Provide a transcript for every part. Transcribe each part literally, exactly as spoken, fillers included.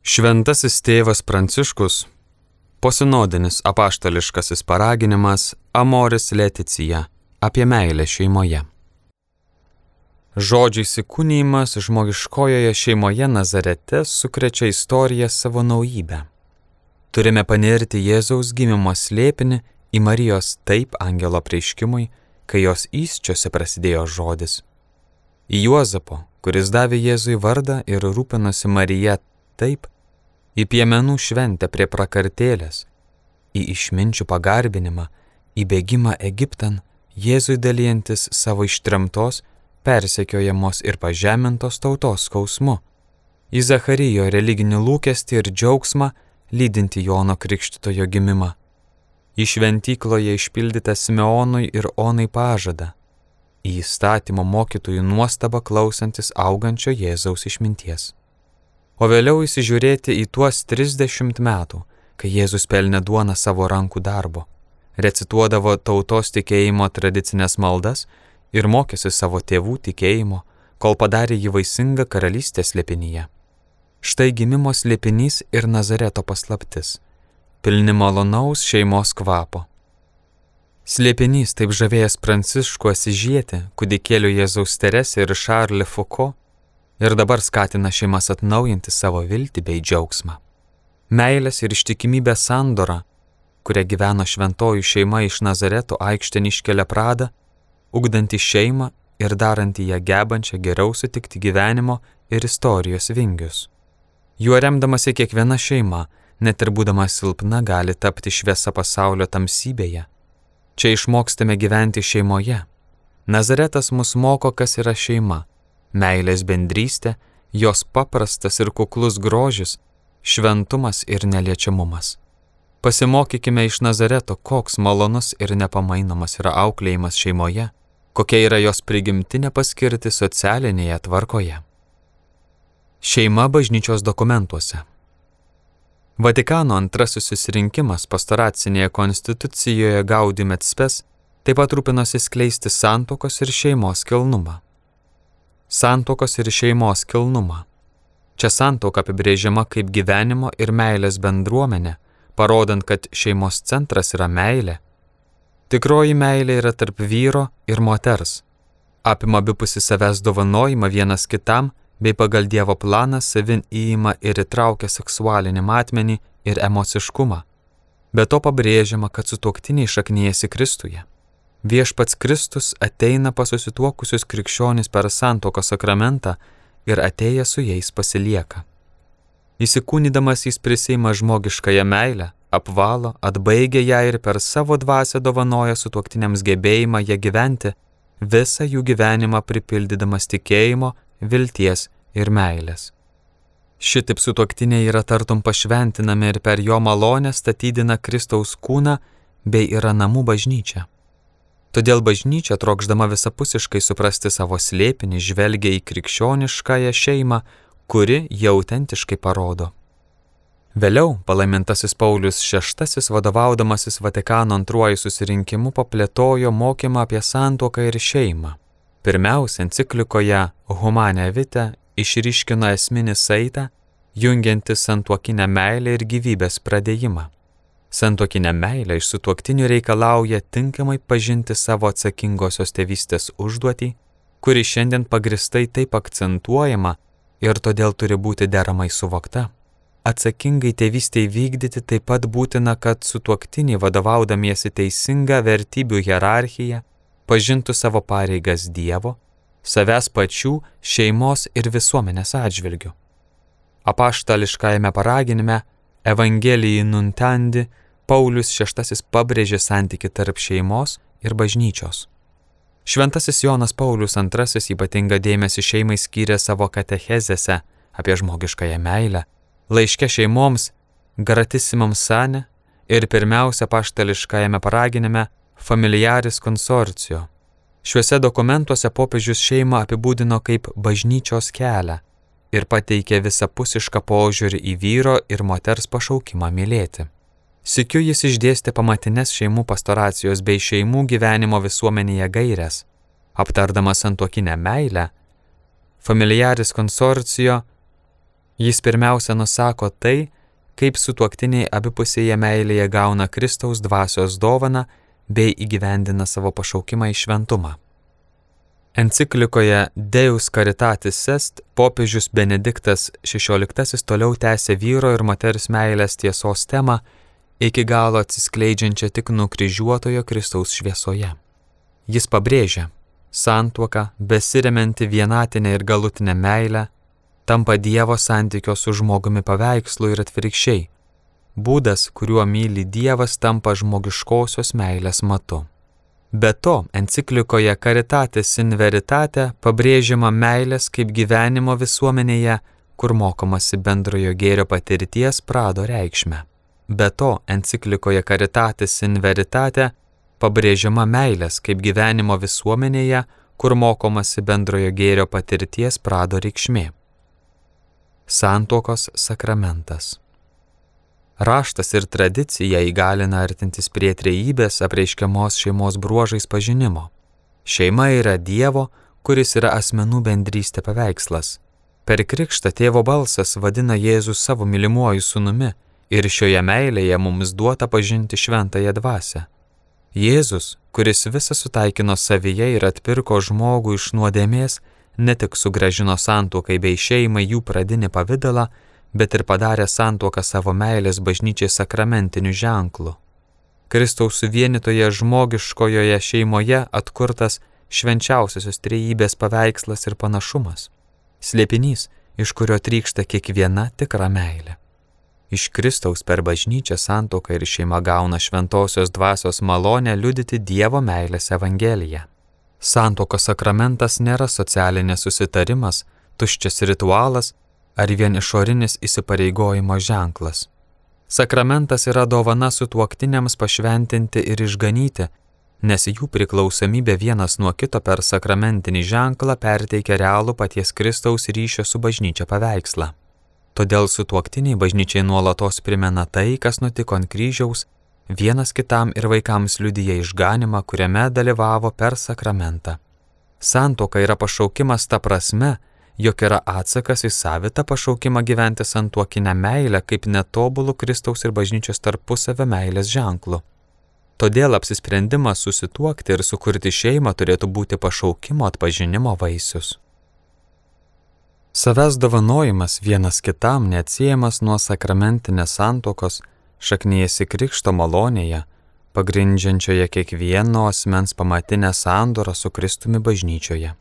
Šventasis tėvas Pranciškus, posinodinis apaštališkasis paraginimas Amoris Laetitia apie meilę šeimoje. Žodžių įsikūnijimas žmogiškojoje šeimoje Nazarete sukrečia istoriją savo naujybę. Turime panirti Jėzaus gimimo slėpinį į Marijos taip angelo apreiškimui, kai jos įsčiose prasidėjo žodis. Į Juozapo, kuris davė Jėzui vardą ir rūpinosi Marija taip, į piemenų šventę prie prakartėlės, į išminčių pagarbinimą, į bėgimą Egiptan, Jėzui dalijantis savo ištremtos, persekiojamos ir pažemintos tautos skausmu, į Zacharijo religinį lūkestį ir džiaugsmą, lydinti Jono Krikštytojo gimimą, į šventykloje išpildytą Simeonui ir Onai pažadą, į įstatymo mokytojų nuostabą klausantis augančio Jėzaus išminties. O vėliau įsižiūrėti į tuos trisdešimt metų, kai Jėzus pelnė duoną savo rankų darbo, recituodavo tautos tikėjimo tradicinės maldas ir mokėsi savo tėvų tikėjimo, kol padarė jį vaisingą karalystės slėpinyje. Štai gimimo slėpinys ir Nazareto paslaptis, pilni malonaus šeimos kvapo. Slėpinys taip žavėjęs Pranciškų Asižietį, kūdikėlių Jėzaus Teresę ir Šarlį Fuko, ir dabar skatina šeimas atnaujinti savo viltį bei džiaugsmą. Meilės ir ištikimybės sandora, kuria gyveno šventojų šeima iš Nazareto aikštėn iškelia pradą, ugdanti šeimą ir daranti ją gebančią geriau sutikti gyvenimo ir istorijos vingius. Juo remdamasi kiekviena šeima, net ir būdama silpna, gali tapti šviesa pasaulio tamsybėje. Čia išmokstame gyventi šeimoje. Nazaretas mus moko, kas yra šeima. Meilės bendrystė, jos paprastas ir kuklus grožis, šventumas ir neliečiamumas. Pasimokykime iš Nazareto, koks malonus ir nepamainomas yra auklėjimas šeimoje, kokia yra jos prigimtinė paskirtis socialinėje tvarkoje. Šeima bažnyčios dokumentuose. Vatikano antrasis susirinkimas pastoracinėje konstitucijoje Gaudium et Spes taip pat rūpinosi skleisti santuokos ir šeimos kilnumą. Santuokos ir šeimos kilnumą. Čia santuoka apibrėžiama kaip gyvenimo ir meilės bendruomenė, parodant, kad šeimos centras yra meilė. Tikroji meilė yra tarp vyro ir moters. Apima abipusį savęs dovanojimą vienas kitam, bei pagal Dievo planą savin įima ir įtraukia seksualinį matmenį ir emociškumą. Be to pabrėžiama, kad sutuoktiniai šaknijasi Kristuje. Viešpats Kristus ateina pas susituokusius krikščionis per santuokos sakramentą ir atėjęs su jais pasilieka. Įsikūnydamas jis prisiima žmogiškąją meilę, apvalo, atbaigia ją ir per savo dvasią dovanoja sutuoktiniams gebėjimą ją gyventi, visą jų gyvenimą pripildydamas tikėjimo, vilties ir meilės. Šitaip sutuoktiniai yra tartum pašventinami ir per jo malonę statydina Kristaus kūną bei yra namų bažnyčia. Todėl bažnyčia, trokšdama visapusiškai suprasti savo slėpinį, žvelgia į krikščioniškąją šeimą, kuri ją autentiškai parodo. Vėliau palaimintasis Paulius šeštasis, vadovaudamasis Vatikano antruoju susirinkimu, paplėtojo mokymą apie santuoką ir šeimą. Pirmiausia, enciklikoje Humane Vitae išryškino esminį saitą, jungiantį santuokinę meilę ir gyvybės pradėjimą. Santuokinė meilė iš sutuoktinių reikalauja tinkamai pažinti savo atsakingosios tėvystės užduotį, kuri šiandien pagristai taip akcentuojama ir todėl turi būti deramai suvokta. Atsakingai tėvystei vykdyti taip pat būtina, kad sutuoktiniai vadovaudamiesi teisinga vertybių hierarchija pažintų savo pareigas Dievo, savęs pačių, šeimos ir visuomenės atžvilgių. Apaštališkajame paraginime Evangelijai Nuntandi Paulius šeštasis pabrėžė santykį tarp šeimos ir bažnyčios. Šventasis Jonas Paulius antrasis ypatingą dėmesį šeimai skyrė savo katechezėse apie žmogiškąją meilę, laiške šeimoms Gratissimam Sane ir pirmiausia apaštališkajame paraginime Familiaris Consortio. Šiuose dokumentuose popiežius šeimą apibūdino kaip bažnyčios kelią ir pateikė visapusišką požiūrį į vyro ir moters pašaukimą mylėti. Sykiu jis išdėstė pamatines šeimų pastoracijos bei šeimų gyvenimo visuomenėje gaires. Aptardamas santuokinę meilę, Familiaris Consortio Jis pirmiausia nusako tai, kaip sutuoktiniai abipusėje meilėje gauna Kristaus dvasios dovaną bei įgyvendina savo pašaukimą į šventumą. Enciklikoje Deus Caritatis Est popiežius Benediktas šešioliktasis toliau tęsė vyro ir moters meilės tiesos temą, iki galo atsiskleidžiančią tik nukryžiuotojo Kristaus šviesoje. Jis pabrėžia, santuoka, besiremianti vienatinę ir galutinę meilę, tampa Dievo santykio su žmogumi paveikslu ir atvirkščiai. Būdas, kuriuo myli Dievas, tampa žmogiškosios meilės matu. Be to, enciklikoje Caritatis in Veritate pabrėžiama meilės kaip gyvenimo visuomenėje, kur mokomasi bendrojo gėrio patirties prado reikšmę. Be to, enciklikoje Caritatis in Veritate pabrėžiama meilės kaip gyvenimo visuomenėje, kur mokomasi bendrojo gėrio patirties prado reikšmė. Santuokos sakramentas. Raštas ir tradicija įgalina artintis prie trejybės apreiškiamos šeimos bruožais pažinimo. Šeima yra Dievo, kuris yra asmenų bendrystė paveikslas. Per krikštą tėvo balsas vadina Jėzų savo mylimuoju sūnumi ir šioje meilėje mums duota pažinti šventąją dvasią. Jėzus, kuris visą sutaikino savyje ir atpirko žmogų iš nuodėmės, ne tik sugrąžino santuokai bei šeimai jų pradinį pavidalą, bet ir padarė santuoką savo meilės bažnyčiai sakramentiniu ženklu. Kristaus suvienitoje žmogiškojoje šeimoje atkurtas švenčiausiosios trejybės paveikslas ir panašumas. Slėpinys, iš kurio trykšta kiekviena tikra meilė. Iš Kristaus per bažnyčią santuoka ir šeima gauna šventosios dvasios malonę liudyti Dievo meilės evangeliją. Santuokos sakramentas nėra socialinės susitarimas, tuščias ritualas ar vien išorinis įsipareigojimo ženklas. Sakramentas yra dovana sutuoktiniams pašventinti ir išganyti, nes jų priklausomybė vienas nuo kito per sakramentinį ženklą perteikia realų paties Kristaus ryšio su bažnyčia paveikslą. Todėl sutuoktiniai bažnyčiai nuolatos primena tai, kas nutiko ant kryžiaus, vienas kitam ir vaikams liudija išganimą, kuriame dalyvavo per sakramentą. Santuoka yra pašaukimas ta prasme, jog yra atsakas į savitą pašaukimą gyventi santuokinę meilę kaip netobulų Kristaus ir bažnyčios tarpusavio meilės ženklu. Todėl apsisprendimas susituokti ir sukurti šeimą turėtų būti pašaukimo atpažinimo vaisius. Savęs dovanojimas vienas kitam neatsiejamas nuo sakramentinės santuokos, šaknijasi krikšto malonėje, pagrindžiančioje kiekvieno asmens pamatinę sandorą su Kristumi bažnyčioje.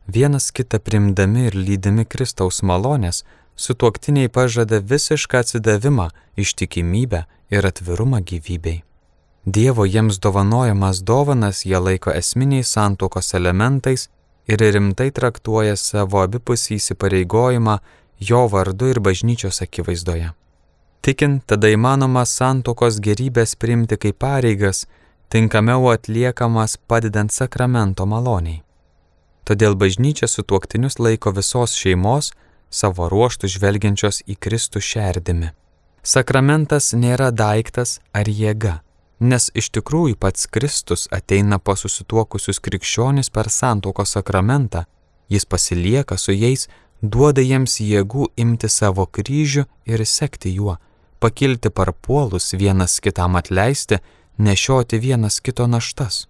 Vienas kitą primdami ir lydimi Kristaus malonės, sutuoktiniai pažada visišką atsidavimą, ištikimybę ir atvirumą gyvybei. Dievo jiems dovanojamas dovanas jie laiko esminiais santuokos elementais ir rimtai traktuoja savo abipusį įsipareigojimą jo vardu ir bažnyčios akivaizdoje. Tikint, tada įmanoma santuokos gerybės priimti kaip pareigas, tinkamiau atliekamas padedant sakramento maloniai. Todėl bažnyčia sutuoktinius laiko visos šeimos, savo ruoštų žvelgiančios į Kristų šerdimi. Sakramentas nėra daiktas ar jėga, nes iš tikrųjų pats Kristus ateina pas susituokusius krikščionis per santuokos sakramentą, jis pasilieka su jais, duoda jiems jėgų imti savo kryžių ir sekti juo, pakilti parpuolus vienas kitam atleisti, nešioti vienas kito naštas.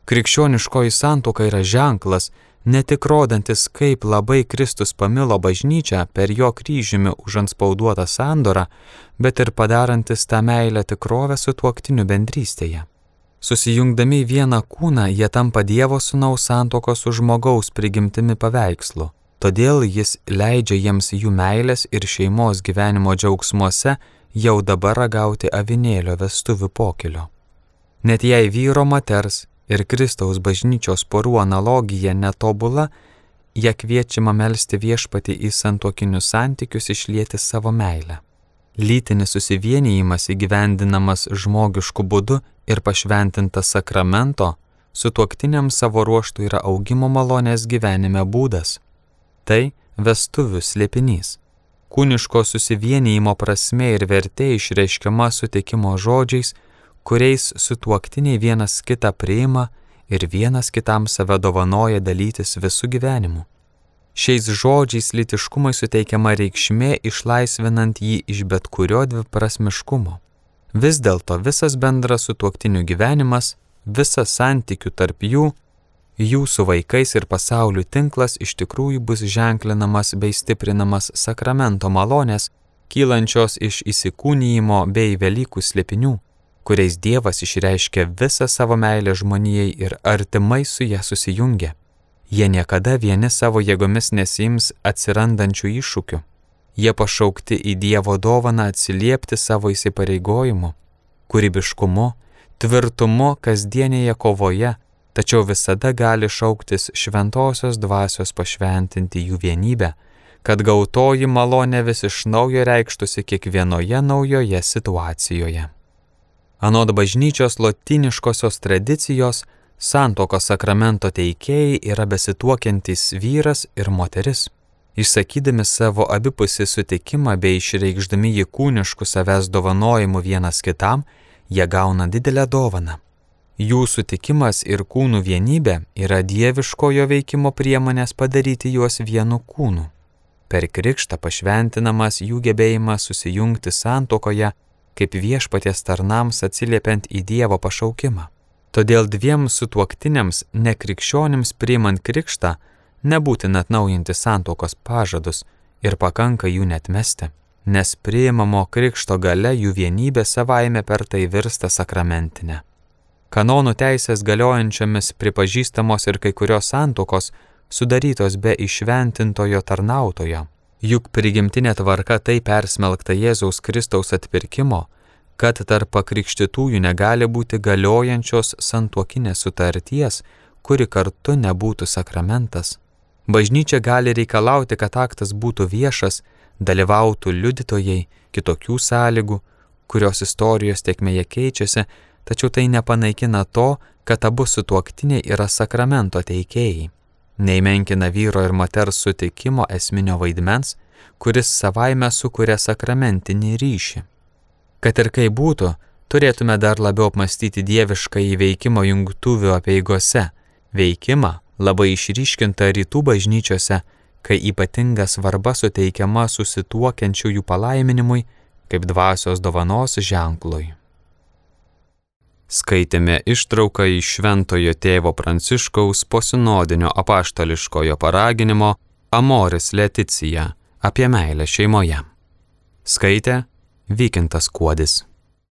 Krikščioniškoji santuoka yra ženklas, ne tik rodantis, kaip labai Kristus pamilo bažnyčią per jo kryžiumi užantspauduotą sandorą, bet ir padarantis tą meilę tikrovę sutuoktinių bendrystėje. Susijungdami į vieną kūną, jie tampa Dievo sūnaus santuokos su žmogaus prigimtimi paveikslu. Todėl jis leidžia jiems jų meilės ir šeimos gyvenimo džiaugsmuose jau dabar ragauti avinėlio vestuvių pokylio. Net jei vyro moters ir Kristaus bažnyčios porų analogija netobula, jie kviečiama melsti viešpatį į santuokinius santykius išlieti savo meilę. Lytinis susivienijimas įgyvendinamas žmogišku būdu ir pašventintas sakramento, sutuoktiniams savo ruoštų yra augimo malonės gyvenime būdas. Tai vestuvių slėpinys. Kūniško susivienijimo prasmė ir vertė išreiškiama sutikimo žodžiais, kuriais sutuoktiniai vienas kitą priima ir vienas kitam save dovanoja dalytis visų gyvenimu. Šiais žodžiais lytiškumui suteikiama reikšmė, išlaisvinant jį iš bet kurio dviprasmiškumo. Vis dėlto visas bendras sutuoktinių gyvenimas, visas santykių tarp jų, jų su vaikais ir pasauliu tinklas iš tikrųjų bus ženklinamas bei stiprinamas sakramento malonės, kylančios iš įsikūnijimo bei Velykų slėpinių, kuriais Dievas išreiškia visą savo meilę žmonijai ir artimai su ja susijungia. Jie niekada vieni savo jėgomis nesiims atsirandančių iššūkių. Jie pašaukti į Dievo dovaną atsiliepti savo įsipareigojimu, kūrybiškumu, tvirtumu kasdienėje kovoje, tačiau visada gali šauktis šventosios dvasios pašventinti jų vienybę, kad gautoji malonė vis iš naujo reikštųsi kiekvienoje naujoje situacijoje. Anot bažnyčios lotyniškosios tradicijos, santuokos sakramento teikėjai yra besituokiantys vyras ir moteris. Išsakydami savo abipusį sutikimą bei išreikšdami jį kūniškų savęs dovanojimu vienas kitam, jie gauna didelę dovaną. Jų sutikimas ir kūnų vienybė yra dieviškojo veikimo priemonės padaryti juos vienu kūnu. Per krikštą pašventinamas jų gebėjimas susijungti santuokoje, kaip viešpaties tarnams atsiliepiant į Dievo pašaukimą. Todėl dviem sutuoktiniams nekrikščionims priimant krikštą nebūtina atnaujinti santuokos pažadus ir pakanka jų neatmesti, nes priimamo krikšto gale jų vienybė savaime per tai virsta sakramentinė. Kanonų teisės galiojančiomis pripažįstamos ir kai kurios santuokos sudarytos be įšventintojo tarnautojo. Juk prigimtinė tvarka tai persmelkta Jėzaus Kristaus atpirkimo, kad tarp pakrikštytųjų negali būti galiojančios santuokinės sutarties, kuri kartu nebūtų sakramentas. Bažnyčia gali reikalauti, kad aktas būtų viešas, dalyvautų liudytojai, kitokių sąlygų, kurios istorijos tėkmėje keičiasi, tačiau tai nepanaikina to, kad abu sutuoktiniai yra sakramento teikėjai. Neįmenkina vyro ir moters sutikimo esminio vaidmens, kuris savaime sukuria sakramentinį ryšį. Kad ir kaip būtų, turėtume dar labiau apmastyti dievišką įveikimo jungtuvių apeigose, veikimą labai išryškintą rytų bažnyčiose, kai ypatinga svarba suteikiama susituokiančiųjų palaiminimui kaip dvasios dovanos ženklui. Skaitėme ištrauką iš Šventojo tėvo Pranciškaus posinodinio apaštališkojo paraginimo Amoris Laetitia apie meilę šeimoje. Skaitė Vykintas Kuodis.